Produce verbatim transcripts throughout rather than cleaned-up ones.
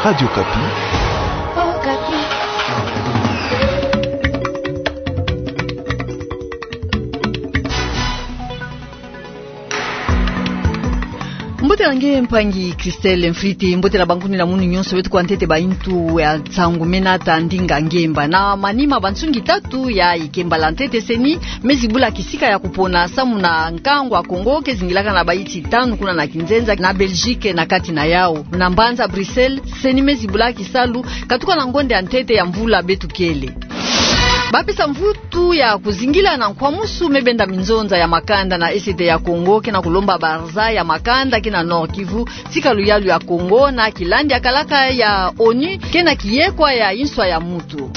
Radio Okapi. Mbote na nge mpangi Christelle Mfrite, mbote na bankuni na munu nyonso beto kwa ntete ba intu ya nsangu mena ta ndinga ngemba. Na manima ba nsungi tatu ya ikemba la ntete, CENI me zibula kisika ya kupona samu na nkangu ya Congo ke zingilaka na bainsi tanu kuna na kinzenza na Belgique na kati na yau. Na mbanza Bruxelles, CENI me zibula kisalu katuka na ngonde ya ntete ya mvula beto kele. Ba pesa mvutu ya kuzingila na nkwamusu me benda minzonza ya makanda na Est ya Congo, ke na kulomba baraza ya makanda ke na Nord-Kivu, tika luyalu ya Congo na kilandi ya kalaka ya ONU ke na kiyekwa ya inswa ya mutu.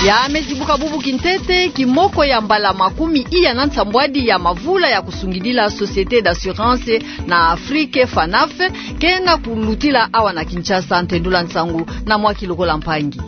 Ya me zibuka bubu kintete, kimoko ya mbala makumi iya na nsambwadi ya mavula ya kusungidila Société d'assurance na Afrique, FANAF, ke na kulutila awa na Kinshasa. Ntendula nsangu na mwaki lokola mpangi.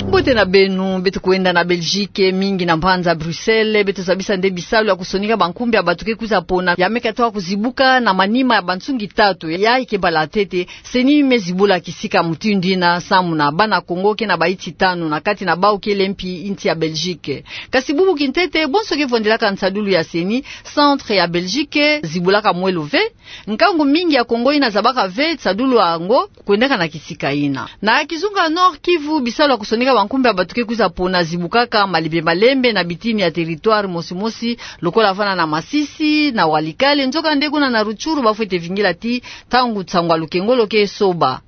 Mbote na beno, beto kwenda na Belgique, mingi na mbanza Bruxelles, beto zabisa nde bisalu ya kusonika bankumbi ya bato ke kwiza pona ya me katuka kuzibuka na manima ya ba nsungi tatu ya ikemba la ntete. CENI me zibula kisika mutindu yina samu na bana Congo ke na bainsi tanu, na kati na bau kele mpi insi ya Belgique. Kasi bubu kintete, bonso ke vwandelaka nsadulu ya CENI, centre ya Belgique zibulaka mwelo ve. Nkangu mingi ya Congo yina zabaka ve nsadulu yango kwendaka na kisika yina. Na kizunga Nord-Kivu, bisalu ya kusonika bankumbi ya bato ke kwiza pona zibukaka malembe malembe na bitini ya territoire mosi mosi, lokola vana na Masisi, na Walikale, nzokande kuna na Rutshuru bafwete vingila tii ntangu nsangu ya lukengolo ke soba.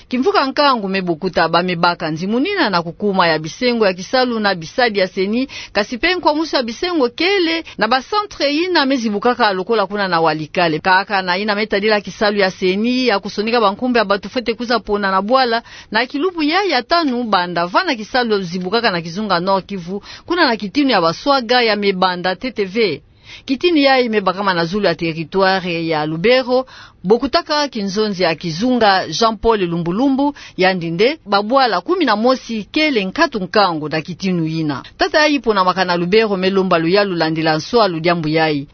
Kimvuka nkangu me bokuta, ba me baka nzimunina na kukuma ya bisengo ya kisalu na bisadi ya CENI, kasi mpe nkwamusu ya bisengo kele na ba centre yina me zibukaka lokola kuna na Walikale. Kaka na yina me tadila kisalu ya CENI ya kusonika bankumbi ya bato fwete kwiza pona na bwala, na kilubu yayi ya tanu banda vana kisalu zibukaka na kizunga Nord-Kivu, kuna na kitinu ya Baswaga ya me banda ntete ve. Kitini yayi me bakama na zulu ya territoire ya Lubero, bokutaka kinzonzi ya kizunga Jean-Paul Lumbu-Lumbu, yandi nde babwala kumi na mosi kele nkatu nkangu na kitinu yina. Tata yayi ponamaka na Lubero me lomba luyalu landila nswalu diambu yayi.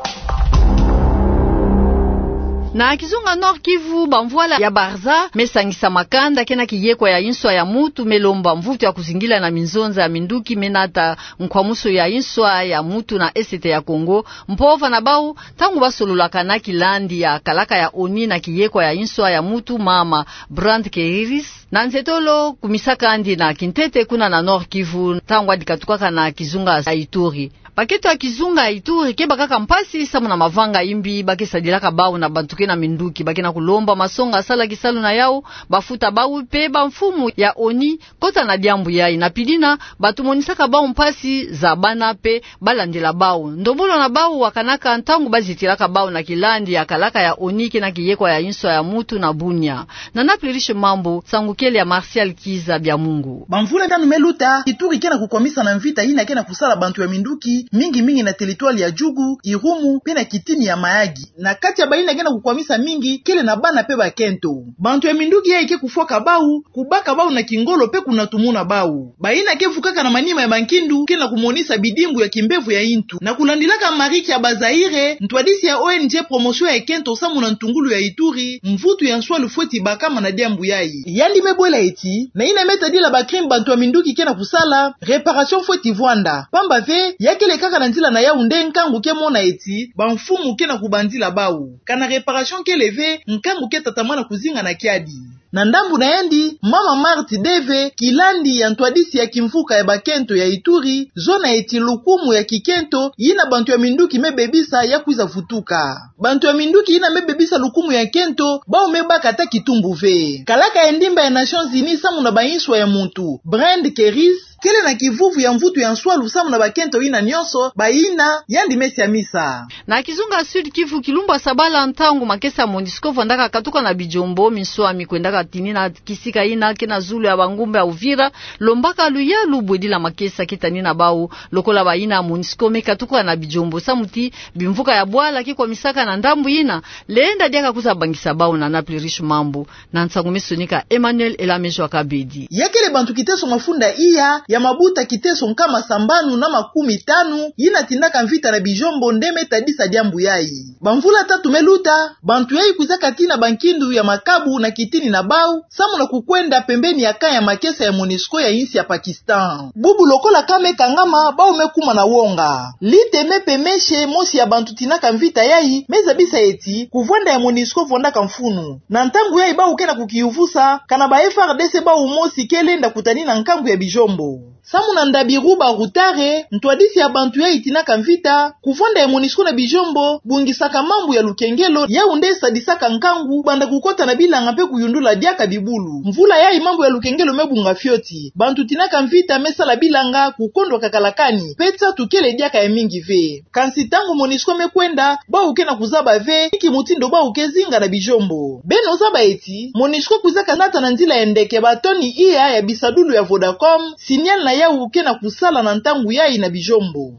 Na kizunga Nord-Kivu, bamvwala ya baraza me sangisa makanda ke na kiyekwa ya inswa ya mutu, me lomba mvutu ya kuzingila na minzonza ya minduki me nata nkwamusu ya inswa ya mutu na Est ya Congo, mpova na bau, ntangu basololaka na kilandi ya kalaka ya ONU na kiyekwa ya inswa ya mutu, mama Brand Keriris, na nzetolo kumisaka'andi na kintete kuna na Nord-Kivu, ntangu yandi katukaka na kizunga ya Ituri. Bakento ya kizunga ya Ituri ke bakaka mpasi samu na mavanga yimbi ba ke sadilaka bau na bantu ke na minduki. Ba ke na kulomba masonga sala kisalu na yau, bafuta bau mpe bamfumu ya ONU kota na diambu yayi. Na pili yina, bato monisaka bau mpasi, zabana mpe balandila bau. Ndombolo na bau wakanaka ntangu bazitilaka bau na kilandi ya kalaka ya ONU ke na kiyekwa ya inswa ya mutu na Bunia. Na Naples Riche Mambu, nsangu kele ya Martial Kiza Biamungu. Bamvula tanu me luta, Ituri ke na kukwamisa na mvita yina ke na kusala bantu ya minduki, mingi mingi na territoire ya Djugu, Irumu, mpe na kitini ya Mahagi. Na kati ya bayina ke na kukwamisa mingi, kele na bana mpe bakento. Bantu ya minduki yayi ke kufwaka bau, kubaka bau na kingolo mpe kunatumuna bau. Bayina ke vukaka na manima ya bankindu ke na kumonisa bidimbu ya kimbevo ya intu. Na kulandilaka Marie Kiabazaire, ntwadisi ya ONG Promotion ya Kento samu na ntungulu ya Ituri, mvutu ya nswalu fweti bakama na diambu yayi. Yandi me bwela eti, na yina me tadila ba crime bantu ya minduki ke na kusala, réparation fweti vwanda. Pamba ve, ya kele kaka na nzila na yau nde nkangu ke mona eti bamfumu ke na kubanzila bau. Kana réparation kele ve, nkangu ke tatamana kuzinga na kiadi. Na ndambu na yandi, mama Marthe Deve, kilandi ya ntwadisi ya kimvuka ya bakento ya Ituri, zona eti lukumu ya kikento yina bantu ya minduki me bebisa ya kwiza vutuka. Bantu ya minduki yina me bebisa lukumu ya kento, bau me baka ata kitumbu ve. Kalaka ya ndimba ya Nations Unies samu na bainswa ya muntu, Brand Keris, kele na kivuvu ya mvutu ya nswalu samu na bakento yina nyonso, bayina yandi me siamisa. Na kizunga Sud-Kivu, kilumbu ya sabala, ntangu makesa ya MONUSCO vwandaka katuka na Bijombo, minswami kwendaka tinina kisika yina ke na zulu ya bangombe ya Uvira, lombaka luyalu bwedila makesa ke tanina bau, lokola bayina MONUSCO me katuka na Bijombo, samu ti bimvuka ya bwala ke kwamisaka na ndambu yina, lenda diaka kwiza bangisa bau. Na Naples Riche Mambu, na nsangu me sonika Emmanuel Elamejo Akabedi. Ya kele bantu kiteso mafunda iya, ya mabuta kiteso nkama sambanu na makumi tanu yina tindaka mvita na bijombo nde me tadisa diambu yayi. Bamvula tatu me luta, bantu yayi kwizaka tina bankindu ya makabu na kitini na bau, samu na kukwenda pembeni ya camp ya makesa ya MONUSCO ya insi ya Pakistan. Bubu lokola ka me kangama, bau me kuma na wonga. Lite Mepe Meshe, mosi ya bantu tinaka mvita yayi, me zabisa eti, kuvwanda ya MONUSCO vwandaka mfunu. Na ntangu yayi bau ke na kukiyuvusa, kana ba F A R D C bau mosi ke lenda kutanina nkangu ya bijombo. Samu na Ndabiruba Rutare, ntwadisi ya bantu yayi tinaka mvita, kuvwanda ya MONUSCO na bijombo bungisaka mambu ya lukengelo, yau nde sadisaka nkangu banda kukota na bilanga mpe kuyundula diaka bibulu. Mvula yayi mambu ya lukengelo me bunga fioti. Bantu tinaka mvita me sala bilanga, kukondwa kakala kani, mpe nsatu kele diaka ya mingi ve. Kansi ntangu MONUSCO me kwenda, bau ke na kuzaba ve inki mutindu bau ke zinga na bijombo. Beno zaba eti, MONUSCO kwizaka nata na nzila ya ndeke batoni iya ya bisadulu ya Vodacom, signal na yau ke na kusala na ntangu yayi na bijombo.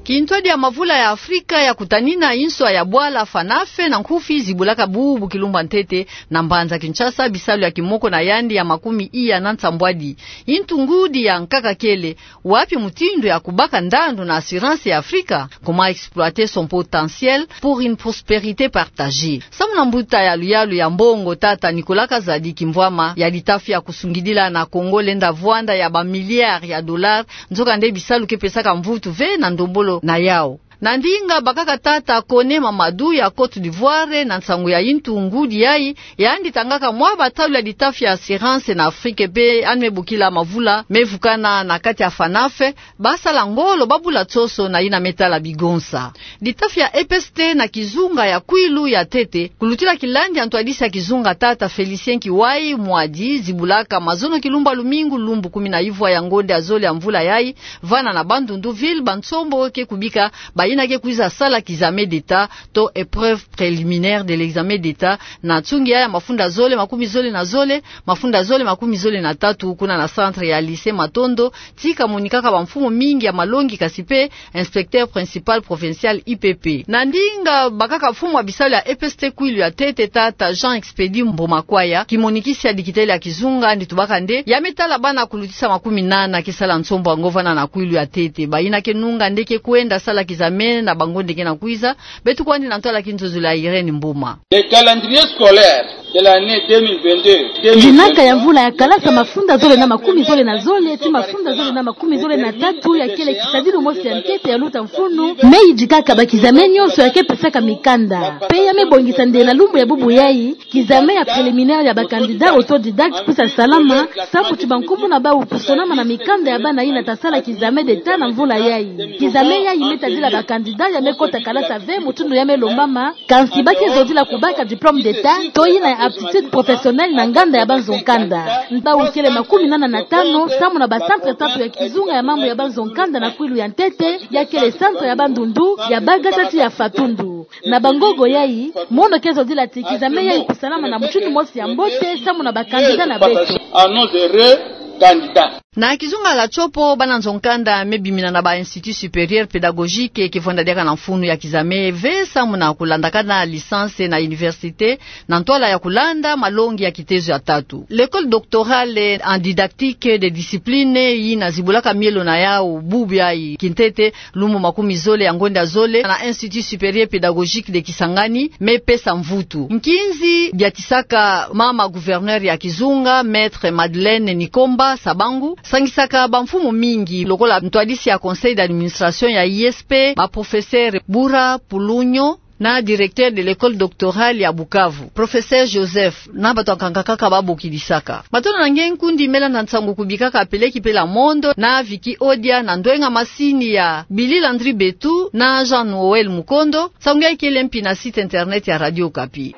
Kintwadi ya mavula ya Afrika ya kutanina inswa ya bwala Fanafe na nkufi zibulaka bubu kilumbu ya ntete na mbanza Kinshasa bisalu ya kimoko na yandi ya makumi iya na nsambwadi. Intu ngudi ya nkaka kele, wapi mutindu ya kubaka ndandu na assurance ya Afrika? Comment exploiter son potentiel pour une prospérité partagée? Samu na mbuta ya luyalu ya mbongo tata Nicolas Kazadi Kimvwama ya litafi ya kusungidila na Congo lenda vwanda ya ba milliards ya dollars, nzoka nde bisalu ke pesaka mvutu ve na ndombolo na yau. Na ndinga bakaka tata Kone Mamadou ya Côte d'Ivoire na nsangu ya intu ngudi yayi, yandi tangaka mwa batalu ya litafi ya assurance na Afrique mpe yandi me bokila mavula me vukana na kati ya Fanafe, basala ngolo babula tsoso na yina me tala bigonsa. Litafi ya E P S T na kizunga ya kwilu ya ntete, kulutila kilandi ya ntwadisi ya kizunga tata Félicien Kiwai Mwadi, zibulaka mazono kilumbu ya lumingu lumbu kumi na ivwa ya ngonde ya zole ya mvula yayi, vana na Bandundu-Ville, bansombo ke kubika bayina ke kwiza sala kizame d'État to épreuve préliminaire de l'examen d'État, na nsungi ya mafunda zole makumi zole na zole, mafunda zole makumi zole na tatu, kuna na centre ya lycée Matondo, ti kamonikaka bamfumu mingi ya malongi kasi mpe inspecteur principal provincial I P P. Na ndinga bakaka mfumu ya bisalu ya E P S T kwilu ya ntete tata Jean Expédit Mbomakwaya, kimonikisi ya dikitele ya kizunga, yandi tubaka nde ya me tala bana kulutisa makumi nana ke sala nsombo yango vana na kwilu ya ntete. Bayina ke nunga nde ke kwenda sala kizame na bangonde ke na kwiza. Beto kwandi na ntwala kinzonzolo ya Irène Mboma. Le calendrier scolaire de l'année deux mille vingt-deux, deux mille vingt-trois. Ndinaka ya mvula ya kalasa mafunda zole na makumi zole na zole ti mafunda zole na makumi zole na tatu ya kele kisadilu mosi ya ntete ya luta mfunu, me yidikaka bakizame nyonso ya ke pesaka mikanda. Mpe ya me bongisa nde na lumbu ya bubu yayi, kizame ya préliminaire ya ba candidats autodidactes kwiza salama, samu ti bankumbu na bau kusonama na mikanda ya bana yina ta sala kizame d'État na mvula yayi. Kizame yayi me tadila ba candidats ya me kota kalasa ve mutindu ya me lombama, kansi ba ke zodila kubaka diplôme d'État to yina ya aptitude professionnelle na nganda ya banzo-nkanda. Bau kele makumi nana na tano samu na ba centre tatu ya kizunga ya mambu ya banzo-nkanda na kwilu ya ntete, ya kele centre ya Bandundu, ya Bagata ti ya Fatundu. Na bangogo yayi, mono ke zodila ti kizame yayi kusalama na mutindu mosi ya mbote samu na ba candidats na beto. À nos heureux candidats. Na kizunga ya Tshopo, bana nzo-nkanda me bimina na ba Institut Supérieur Pédagogique ke vwanda diaka na mfunu ya kizame ve samu na kulandakana licence na université, na ntwala ya kulanda malongi ya kitezo ya tatu. L'École doctorale en didactique des disciplines, yina zibulaka mielo na yau bubu yayi kintete, lumbu makumi zole ya ngonde ya zole, na Institut Supérieur Pédagogique de Kisangani, me pesa mvutu. Nkinzi biatisaka mama gouverneur ya kizunga, Maître Madeleine Nikomba Sabangu, sangisaka bamfumu mingi, lokola ntwadisi ya conseil d'administration ya I S P, ba professeur Bura Pulunyo, na directeur de l'École doctorale ya Bukavu, professeur Joseph, na bato ya nkaka kaka ba bokilisaka. Matondo na nge nkundi, mela na nsangu kubikaka peleki pela mondo na Vicky Odia, na ndwenga masini ya Billy Landry Betu na Jean Noël Mukondo. Nsangu yayi kele mpi na site internet ya Radio Okapi.